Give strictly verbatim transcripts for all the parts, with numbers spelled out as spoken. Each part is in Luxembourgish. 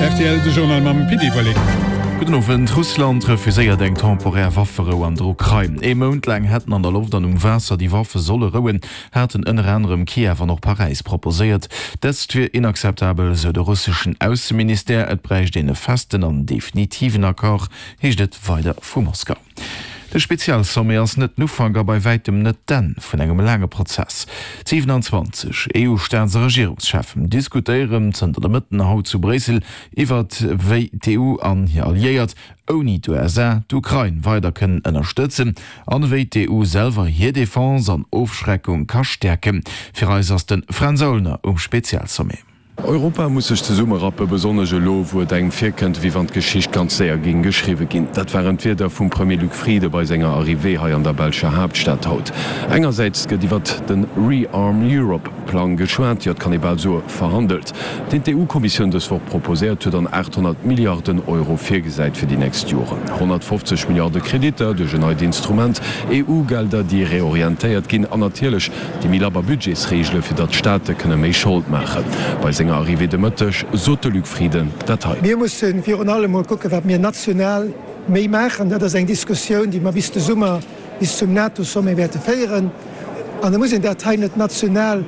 Rtl, de Journal mam Pit Everling. Gudden Owend. Russland refuséiert eng temporär Wafferou an der Ukrain. Ee Mount laang hätten an der Loft an um Waasser déi Waffe solle rouen, haten ënner anerem Kiew an och Paräis proposéiert. Dëst wier inakzeptabel, sou de russeschen Ausseministère. Et bräicht een e festen an definitiven Accord, heescht et weider vu Moskau. De Spezialsommet ass net den Ufank a bei wäitem net d'Enn vun engem laange Prozess. D'siwenanzwanzeg E U-Staats a Regierungscheffen diskutéieren zënter de Mëtten haut zu Bréissel iwwert wéi d'E U an hir Alliéiert ouni d'U S A d'Ukrain weider kënnen ënnerstëtzen an wéi d'E U selwer hir Defense an Ofschreckung ka stäerken. Fir eis ass de Fränz Aulner um Spezialsommet. Europa muss sech zesummerappen, besonnesch elo, wou et engem virkënnt, wéi wann d'Geschicht ganz séier géing geschriwwe ginn. Dat waren d'Wierder vum Premier Luc Frieden bei senger Arrivée hei an der belscher Haaptstad haut. Engersäits gëtt iwwert de Rearm Europe Plang geschwat, jo et kann ee bal soe verhandelt, deen d'E U-Kommissioun dës Woch proposéiert huet an aathonnert Milliarden Euro virgesäit fir déi nächst Joren. honnertfofzeg Milliarde Kreditter duerch en neit Instrument, E U-Gelder, déi reorientéiert ginn an natierlech déi méi labber Budgetsreegele fir datt d'Staate kënne méi Schold maachen. Bei senger Arrivée de Mëtteg sot de Luc Frieden dat hei. Mir musse virun allem mol kucken, wat mir national méi maachen. Dat ass eng Diskussioun, déi mer bis de Summer, bis zum NATO-Sommet wäerte féieren. An da muss een dat hei net national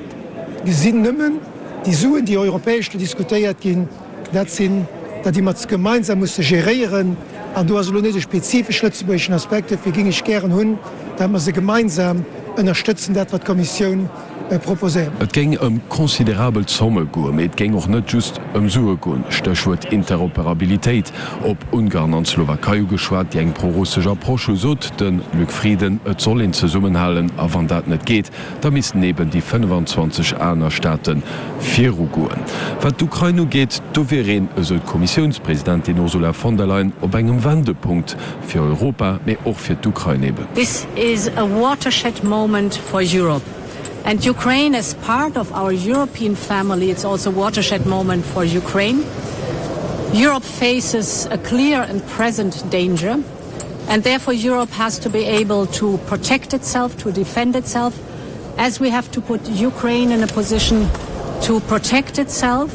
gesinn nëmmen. Déi Suen, déi europäesch do diskutéiert ginn, dat sinn der, déi mer gemeinsam musse geréieren. An do ass elo net e spezifesch lëtzebuergeschen Aspekt. Dofir géing ech gären hunn, dat mer se gemeinsam ënnerstëtzen, dat wat d'Kommissioun proposéiert. Et géing ëm considerabel Zomme goen, mee et géing och net just ëm Sue goen. Stéchwuert Interoperabilitéit. Op Ungarn an d'Slowakei ugeschwat, déi eng prorussesch Approche hu, sot de Luc Frieden, et soll een zesummenhalen a wann dat net geet, da missten eben déi fënnefenzwanzeg aner Staate virugoen. Wat d'Ukrain ugeet, do wier een, esou d'Kommissiounspresidentin Ursula von der Leyen, op engem Wendepunkt, fir Europa, mee och fir d'Ukrain eben. This is a watershed moment for Europe and Ukraine as part of our European family. It's also a watershed moment for Ukraine. Europe faces a clear and present danger, and therefore Europe has to be able to protect itself, to defend itself, as we have to put Ukraine in a position to protect itself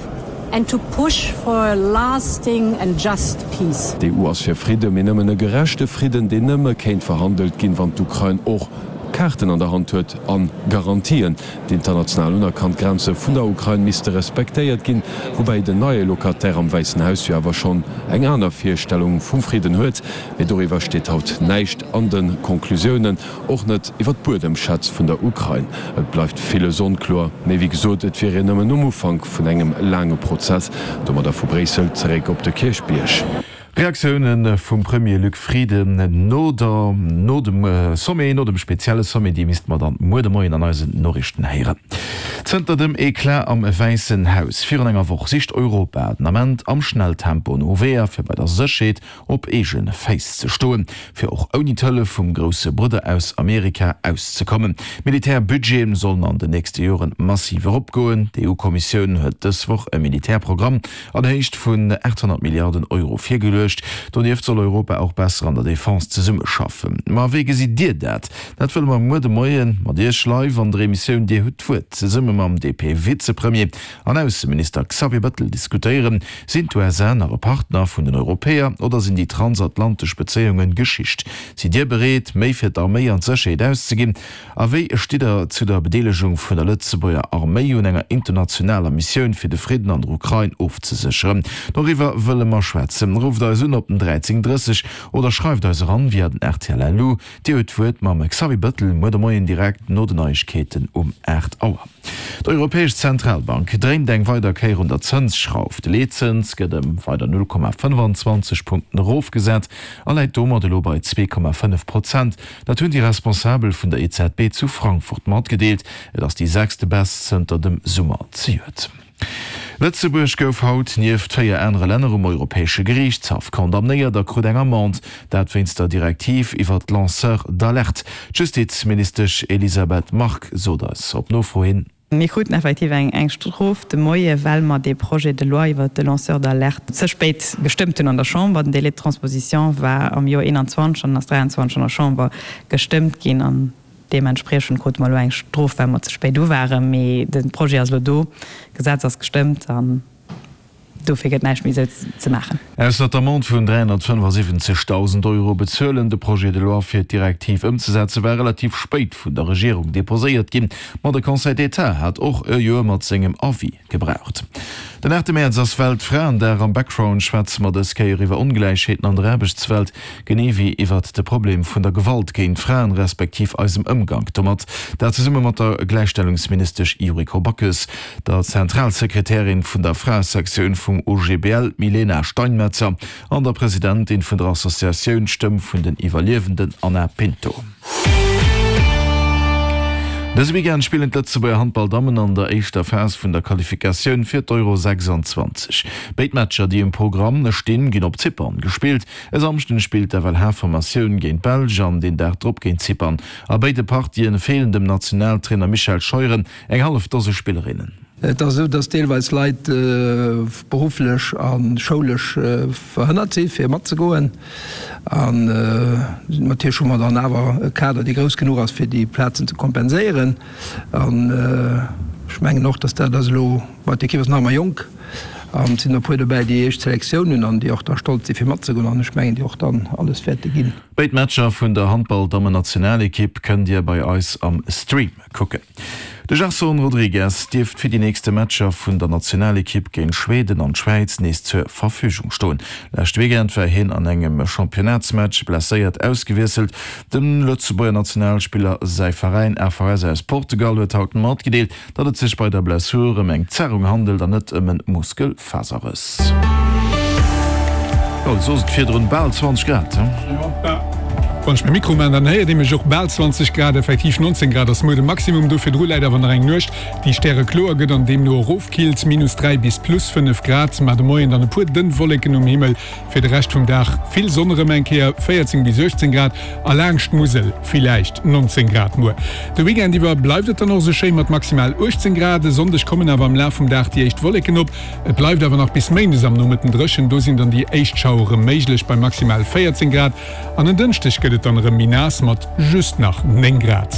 and to push for a lasting and just peace. D'E U ass fir Fridden, mee nëmmen e gerechte Fridden, deen nëmme kéint verhandelt ginn, wann d'Ukrain och Kaarten an der Hand huet a Garantien. D'international unerkannt Grenze vun der Ukrain misste respektéiert ginn, woubäi den neie Locataire am Wäissen Haus jo awer schonn eng aner Virstellung vum Fridden huet. Mee doriwwer steet haut näischt an de Conclusiounen, och net iwwer d'Buedemschätz vun der Ukrain. Et bleift villes onkloer, mee wéi gesot, et wier een nëmmen um Ufank vun engem laange Prozess. Domadder vu Bréissel zeréck op de Kierchbierg. Reaktioune vum Premier Luc Frieden no der no dem Sommet, no dem spezielle Sommet, déi misste mer dann muer de Moien an eisen Noriichten héieren. Zënter dem Eclat am Wäissen Haus virun enger Woch sicht Europa den Ament am Schnelltempo no Weeër, fir bei der Sécherheet op eege Féiss ze stoen, fir och ouni d'Hëllef vum grousse Brudder aus Amerika auszekommen. D'Militärbudgete sollen an den nächste Joren massiv eropgoen. D'E U-Kommissioun huet dës Woch e Militärprogramm an Héicht vun aathonnert Milliarden Euro virgeluecht. Donieft soll Europa och besser an der Defense zesummeschaffen. Ma wéi gesitt Dir dat? Dat wëlle mer muer de Moie mat Iech live an der Emissioun Dir hutt d'Wuert zesumme mam D P-Vizepremier an Ausseminister Xavier Bettel diskutéieren. Sinn d'U S A nach e Partner vun den Europäer oder sinn déi transatlantesch Bezéiunge Geschicht? Sidd Dir bereet, méi fir d'Arméi an d'Sécherheet auszeginn? A wéi stitt Der zu der Bedeelegung vun der Lëtzebuerger Arméi un enger internationaler Missioun fir de Fridden an der Ukrain ofzesécheren? Doriwwer wëlle mer schwätzen. Rufft eis un op den dräizéng drësseg oder schreift eis eran via den R T L L U. Dir hutt d'Wuert mam Xavier Bettel muer de Moien direkt no den Neiegkeeten um aacht Auer. D'Europäesch Zentralbank dréint eng weider Kéier un der Zënsschrauf. De Leetzëns gëtt ëm weider null Komma fënnfanzwanzeg Punkten erofgesat a läit domat elo bei zwee Komma fënnef Prozent. Dat hunn déi Responsabel vun der E Z B zu Frankfurt matgedeelt. Et ass déi sechste Baisse zënter dem Summer zejoert. Lëtzebuerg gouf haut nieft véier anere Länner um Europäesche Geriichtshaff condamnéiert a krut eng Amende, dat wéinst der Direktiv iwwer d'Lanceurs d'alerte. D'Justizministesch Elisabeth Margue sot eis op Nofro hin: Mir kruten effektiv eng eng Strof de Moie well mer dee Projet de loi iwwer de Lanceur d'alerte ze spéit gestëmmt hunn an der Chamber. Den Délai de transposition war am Joer eenanzwanzeg an ass dräianzwanzeg an der Chamber gestëmmt ginn an deementspriechend krute mer elo eng Strof, well mer ze spéit u waren. Mee de Projet ass elo do, d'Gesetz ass gestëmmt an Dofir gëtt näischt méi esou ze maachen. Ausser d'Amende vun dräihonnertfënnefasiwwenzegdausend Euro bezuelen. De Projet de loi fir d'Direktiv ëmzesetze war relativ spéit vun der Regierung deposéiert ginn, ma de Conseil d'État hat och e Joer mat sengem Avis gebraucht. Den aachte Mäerz ass Weltfraendag. Am Background schwätze mer dës Kéier iwwer Ongläichheeten an der Aarbechtswelt, genee wéi iwwert de Problem vun der Gewalt géint Fraen, respektiv eisem Ëmgank domat. Dat zesumme mat der Gläichstellungsministesch Yuriko Backes, der Zentralsekretärin vun der Fraesektioun vum O G B L Milena Steinmetzer an der Presidentin vun der Associatioun Stëmm vun den Iwwerliewenden Anna Pinto. Dëse Weekend spillen d'Lëtzebuerger Handballdammen an der éischter Phas vun der Qualifikatioun fir d'Euro sechsanzwanzeg. Béid Matcher, déi um Programm stinn, ginn op Zypern gespillt. E Samschden spillt d'F L H-Formatioun géint d'Belsch an deen Dag drop géint Zypern. A béide Partien feelen dem Nationaltrainer Michel Scheuren eng hallef Dose Spillerinnen. Et ass esou, dass deelweis Leit berufflech a schoulesch verhënnert si fir matzegoen. An natierlech hu mer dann awer e Kader, dee grouss genuch ass, fir déi Plazen ze kompenséieren. An ech mengen och, dass dat ass elo, bon, d'Ekipp ass nach ëmmer jonk an et sinn e puer dobäi, déi éischt Selektioun hunn an déi och da stolz si fir matzegoen an ech mengen, déi och dann alles wäerte ginn. Béid Matcher vun der Handball-Dammen-Nationalekipp kënnt Dir bei eis am Stream kucken. De Gerson Rodrigues dierft fir déi nächste Matcher vun der Nationalekipp géint Schweden an d'Schwäiz nees zur Verfügung stoen. Leschte Weekend war hien an engem Championnatsmatch blesséiert ausgewiesselt. Dem Lëtzebuerger Nationalspiller säi Veräin A V S aus Portugal huet haut matgedeelt, datt et sech bei der Blessur ëm eng Zerrung handelt an net ëm e Muskelfaserrëss. Oh, soss et virdrun bal zwanzeg Grad, he? Wann ech mäi Mikro maan, dann héiert ee mech och. Bal zwanzeg Grad, effektiv neunzehn Grad ass muer de Maximum. Do virdru läit awer nach eng Nuecht, déi stärekloer gëtt an deemno erofkillt, minus dräi bis plus fënnef Grad. Mar de Moien dann e puer dënn Wolleken um Himmel, fir de Rescht vum Dag vill Sonn erëm eng Kéier, véierzéng bis uechtzéng Grad a laangscht d'Musel villäicht neunzéng Grad muer. De Weekend iwwer bleift et dann och esou schéi mat maximal uechtzéng Grad. E Sonndeg kommen awer am Laf vum Dag déi éischt Wolleken op. Et bleift awer nach bis méindes am Nomëtten dréchen, do sinn dann déi éischt Schauere méiglech bei maximal véierzéng Grad. An en Dënschdeg gëtt et dann erëm méi naass mat just nach néng Grad.